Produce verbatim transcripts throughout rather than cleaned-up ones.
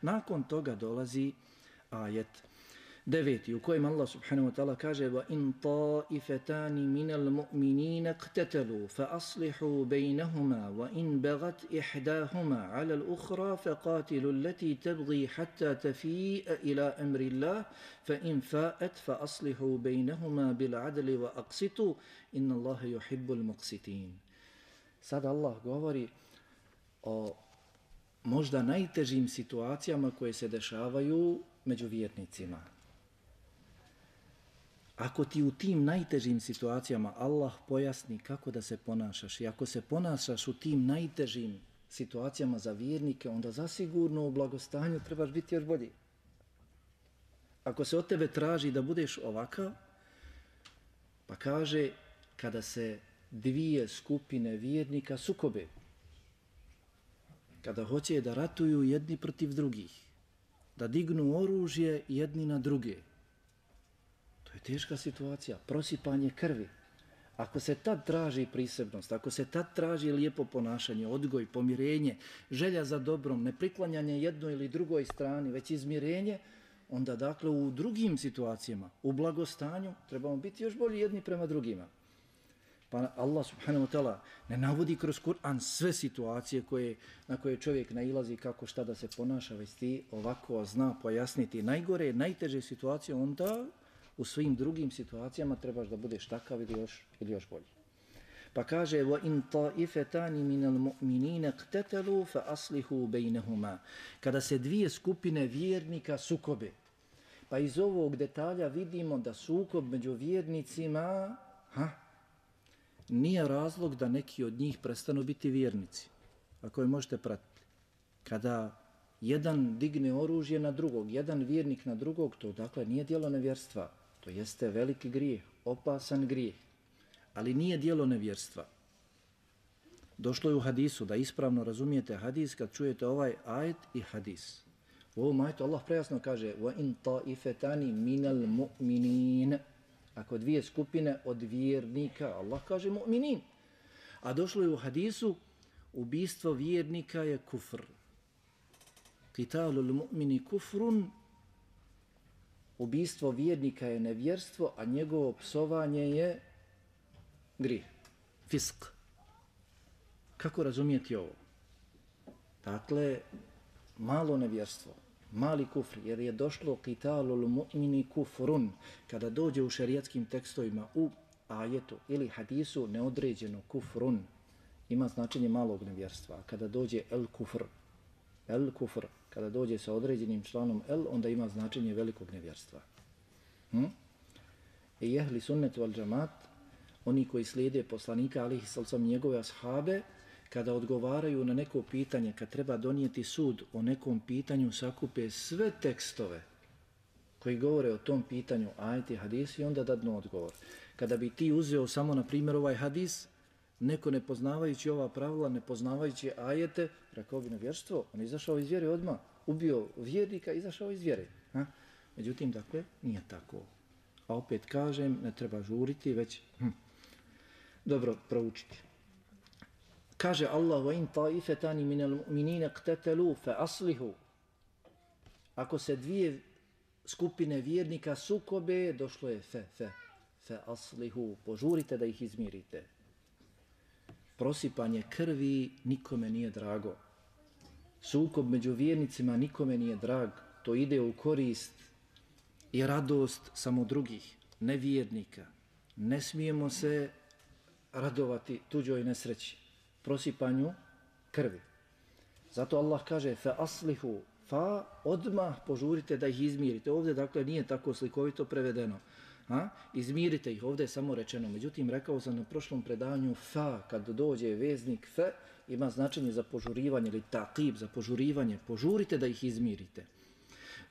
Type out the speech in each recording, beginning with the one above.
Nakon toga dolazi ajet deveti u kojem Allah subhanahu wa ta'ala kaže wa in ta'ifatani minal mu'minina iqtatalu fa aslihu baynahuma wa in baghat ihdahuma 'ala al-ukhra faqatilu allati tabghi hatta tafi'a ila amri Allah fa in fa'at fa aslihu baynahuma bil 'adli wa aqsitu inna Allaha yuhibbul muqsitin. Sad Allah govori o možda najtežim situacijama koje se dešavaju među vjernicima. Ako ti u tim najtežim situacijama Allah pojasni kako da se ponašaš i ako se ponašaš u tim najtežim situacijama za vjernike, onda zasigurno u blagostanju trebaš biti još bolji. Ako se od tebe traži da budeš ovakav, pa kaže kada se dvije skupine vjernika sukobe, kada hoće da ratuju jedni protiv drugih, da dignu oružje jedni na druge, to je teška situacija, prosipanje krvi. Ako se tad traži prisebnost, ako se tad traži lijepo ponašanje, odgoj, pomirenje, želja za dobrom, ne priklanjanje jednoj ili drugoj strani, već izmirenje, onda dakle u drugim situacijama, u blagostanju, trebamo biti još bolji jedni prema drugima. Pa Allah subhanahu wa ta'ala ne navodi kroz Kur'an sve situacije koje, na koje čovjek nailazi kako šta da se ponaša, već ti ovako zna pojasniti najgore, najteže situacije, onda u svim drugim situacijama trebaš da budeš takav ili još, ili još bolji. Pa kaže وَإِنْ طَائِفَتَانِ مِنَ الْمُؤْمِنِينَ اقْتَتَلُوا فَأَصْلِحُوا بَيْنَهُمَا. Kada se dvije skupine vjernika sukobe, pa iz ovog detalja vidimo da sukob među vjernicima ha, nije razlog da neki od njih prestanu biti vjernici. Ako je možete pratiti. Kada jedan digne oružje na drugog, jedan vjernik na drugog, to dakle nije djelo nevjerstva. To jeste veliki grijeh, opasan grijeh, ali nije djelo nevjerstva. Došlo je u hadisu, da ispravno razumijete hadis kad čujete ovaj ajet i hadis. U ovom ajetu Allah prejasno kaže وَإِنْ طَائِفَتَانِ مِنَ الْمُؤْمِنِينَ. Ako dvije skupine od vjernika, Allah kaže mu'minin. A došlo je u hadisu, ubistvo vjernika je kufr. Qitalul mu'mini kufrun. Ubistvo vjernika je nevjerstvo, a njegovo psovanje je grijeh, fisk. Kako razumijeti ovo? Dakle, malo nevjerstvo, mali kufr, jer je došlo qitalul mu'mini kufrun. Kada dođe u šerijatskim tekstovima, u ajetu ili hadisu neodređeno kufrun, ima značenje malog nevjerstva. A kada dođe el kufr, el kufr, kada dođe sa određenim članom el, onda ima značenje velikog nevjerstva. Hm? I jehli sunnetu al džamat, oni koji slijede poslanika, alihi sallam, njegove ashabe, kada odgovaraju na neko pitanje, kad treba donijeti sud o nekom pitanju, sakupe sve tekstove koji govore o tom pitanju, ajeti, hadisi, i onda dadnu odgovor. Kada bi ti uzeo samo, na primjer, ovaj hadis, neko ne poznavajući ova pravila, ne poznavajući ajete, rekao bi nevjerstvo, on izašao iz vjere odmah, ubio vjernika, izašao iz vjere. Ha? Međutim, dakle, nije tako. A opet kažem, ne treba žuriti, već hm, dobro proučiti. Kaže Allah, وَإِنْ طَائِفَتَانِ مِنَ الْمُؤْمِنِينَ اقْتَتَلُوا فَأَصْلِحُوا. Ako se dvije skupine vjernika sukobe, došlo je fe, fe, fe aslihu, požurite da ih izmirite. Prosipanje krvi nikome nije drago. Sukob među vjernicima nikome nije drag. To ide u korist i radost samo drugih, nevjernika. Ne smijemo se radovati tuđoj nesreći, prosipanju krvi. Zato Allah kaže fa aslihu, fa odmah požurite da ih izmirite. Ovdje dakle nije tako slikovito prevedeno. Ha? Izmirite ih, ovdje je samo rečeno. Međutim, rekao sam na prošlom predavanju fa, kad dođe veznik fe, ima značenje za požurivanje ili taqib, za požurivanje. Požurite da ih izmirite.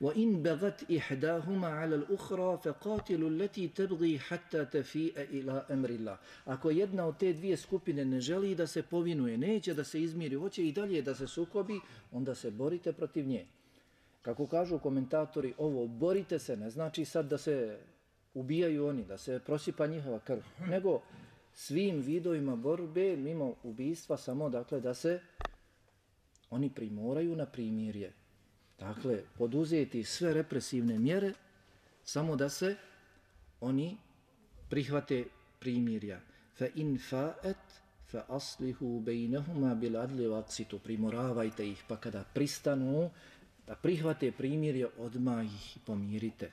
وَإِنْ بَغَتْ إِحْدَاهُمَا عَلَى الْأُخْرَى فَقَاتِلُوا الَّتِي تَبْغِي حَتَّى تَفِيءَ إِلَى أَمْرِ اللَّهِ. Ako jedna od te dvije skupine ne želi da se povinuje, neće da se izmiri, hoće i dalje da se sukobi, onda se borite protiv nje. Kako kažu komentatori, ovo borite se ne znači sad da se ubijaju oni, da se prosipa njihova krv, nego svim vidovima borbe mimo ubijstva, samo dakle da se oni primoraju na primirje. Dakle, poduzeti sve represivne mjere samo da se oni prihvate primirja. Fa in fa'at fa aslihu bejnehuma bil adli waqsitu. Primoravajte ih, pa kada pristanu da prihvate primirje, odmah ih pomirite.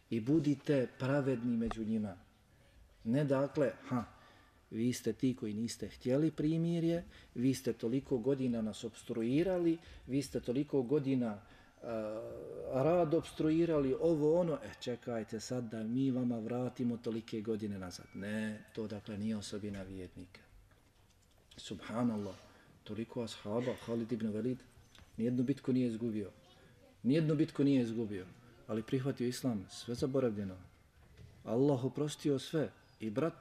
I budite pravedni među njima. Ne dakle, ha, vi ste ti koji niste htjeli primirje, vi ste toliko godina nas obstruirali, vi ste toliko godina uh, rad obstruirali, ovo ono, e čekajte sad da mi vama vratimo tolike godine nazad. Ne, to dakle nije osobina vjernika. Subhanallah, toliko ashaba, Halid ibn Velid, nijednu bitku nije izgubio. Nijednu bitku nije izgubio, ali prihvatio islam, sve zaboravljeno. Allah oprostio sve. I brat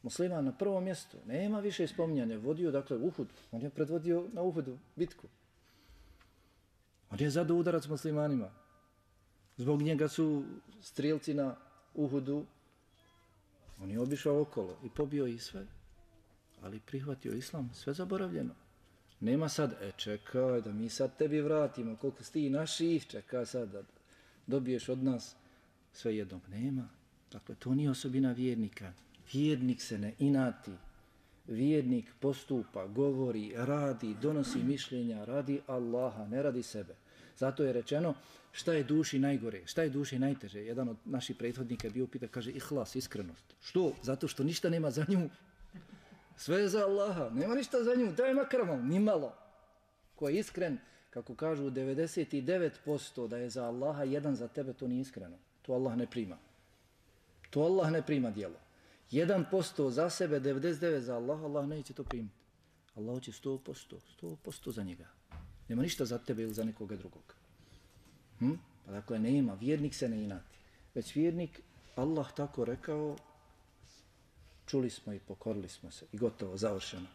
musliman na prvom mjestu, nema više spominjanja, vodio dakle Uhud, on je predvodio na Uhudu bitku. On je zadao udarac muslimanima. Zbog njega su strijelci na Uhudu, on je obišao okolo i pobio ih sve, ali prihvatio islam, sve zaboravljeno. Nema sad, e čekaj da mi sad tebi vratimo, koliko sti naših, čekaj sad da dobiješ od nas sve jednog. Nema. Dakle, to nije osobina vjernika. Vjernik se ne inati. Vjernik postupa, govori, radi, donosi mišljenja, radi Allaha, ne radi sebe. Zato je rečeno šta je duši najgore, šta je duši najteže. Jedan od naših prethodnika je bio pita, kaže ihlas, iskrenost. Što? Zato što ništa nema za nju. Sve je za Allaha, nema ništa za nju, daj makar malo, ni malo. Ko je iskren, kako kažu devedeset devet posto da je za Allaha, jedan za tebe, to nije iskreno. To Allah ne prima. To Allah ne prima djelo. jedan posto za sebe, devedeset devet za Allah, Allah neće to primiti. Allah će sto posto, sto posto za njega. Nema ništa za tebe ili za nekoga drugog. Hm? Pa dakle, nema, vjernik se ne inati. Već vjernik, Allah tako rekao, čuli smo i pokorili smo se i gotovo, završeno.